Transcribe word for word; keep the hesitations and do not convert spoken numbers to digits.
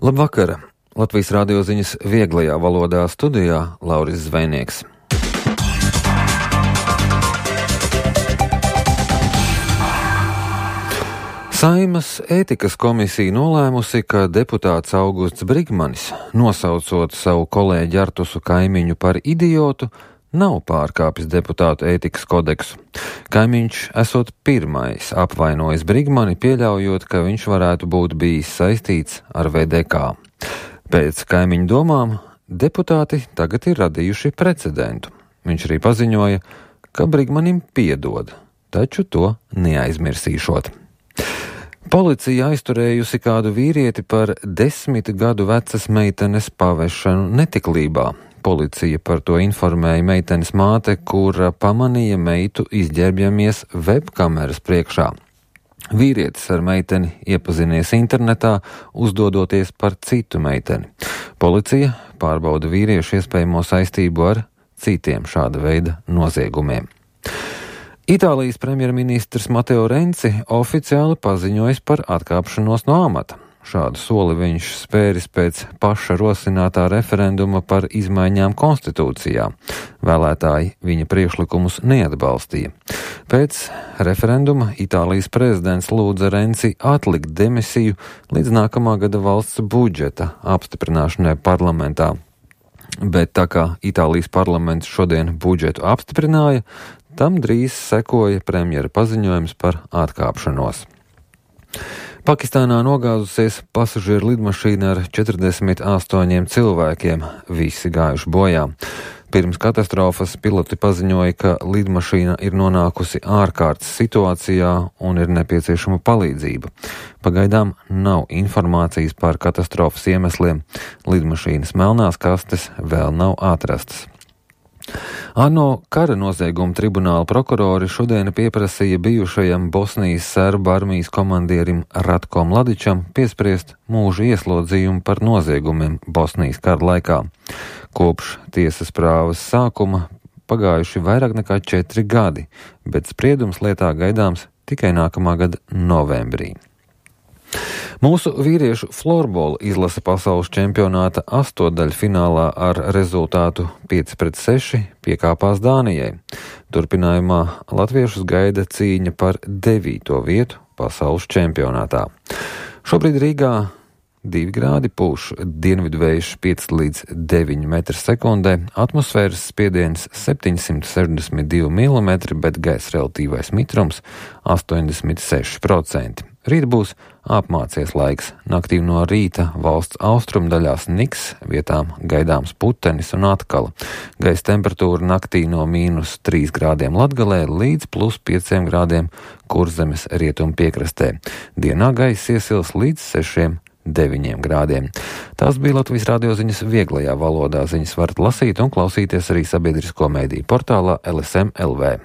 Labvakar! Latvijas radio ziņas vieglajā valodā studijā Lauris Zvejnieks. Saeimas ētikas komisija nolēmusi, ka deputāts Augusts Brigmanis, nosaucot savu kolēģi Artusu Kaimiņu par idiotu, nav pārkāpis deputātu ētikas kodeksu. Kaimiņš esot pirmais apvainojis Brigmani, pieļaujot, ka viņš varētu būt bijis saistīts ar V D K. Pēc Kaimiņu domām deputāti tagad ir radījuši precedentu. Viņš arī paziņoja, ka Brigmanim piedod, taču to neaizmirsīšot. Policija aizturējusi kādu vīrieti par desmit gadu vecas meitenes pavešanu netiklībā. Policija par to informēja meitenes māte, kura pamanīja meitu izģērbjamies webkameras priekšā. Vīrietis ar meiteni iepazinies internetā, uzdodoties par citu meiteni. Policija pārbauda vīriešu iespējamo saistību ar citiem šāda veida noziegumiem. Itālijas premjerministrs Mateo Renci oficiāli paziņojis par atkāpšanos no amata. Šādu soli viņš spēris pēc paša rosinātā referenduma par izmaiņām konstitūcijā. Vēlētāji viņa priekšlikumus neatbalstīja. Pēc referenduma Itālijas prezidents lūdza Renci atlikt demisiju līdz nākamā gada valsts budžeta apstiprināšanai parlamentā. Bet tā kā Itālijas parlaments šodien budžetu apstiprināja, tam drīz sekoja premjera paziņojums par atkāpšanos. Pakistānā nogāzusies pasažieru lidmašīna ar četrdesmit astoņiem cilvēkiem, visi gājuši bojā. Pirms katastrofas piloti paziņoja, ka lidmašīna ir nonākusi ārkārtas situācijā un ir nepieciešama palīdzība. Pagaidām nav informācijas par katastrofas iemesliem. Lidmašīnas melnās kastes vēl nav atrastas. ANO kara nozieguma tribunāla prokurori šodien pieprasīja bijušajam Bosnijas serbu armijas komandierim Ratko Mladičam piespriest mūža ieslodzījumu par noziegumiem Bosnijas kara laikā. Kopš tiesas prāvas sākuma pagājuši vairāk nekā četri gadi, bet spriedums lietā gaidāms tikai nākamā gada novembrī. Mūsu vīriešu florbola izlase pasaules čempionāta astotdaļfinālā ar rezultātu pieci pret seši piekāpās Dānijai. Turpinājumā latviešus gaida cīņa par devīto vietu pasaules čempionātā. Šobrīd Rīgā divi grādi, pūš dienvidu vējš pieci līdz deviņi metri sekundē, atmosfēras spiediens septiņsimt sešdesmit divi milimetri, bet gaisa relatīvais mitrums astoņdesmit seši procenti. Rīt būs apmācies laiks. Naktī no rīta valsts austrumdaļās niks, vietām gaidāms putenis un atkala. Gaisa temperatūra naktī no mīnus trīs grādiem Latgalē līdz plus pieciem grādiem Kurzemes rietumu piekrastē. Dienā gaisa iesils līdz sešiem deviņiem grādiem. Tās bija Latvijas radio ziņas vieglajā valodā. Ziņas varat lasīt un klausīties arī sabiedrisko mediju portālā L S M L V.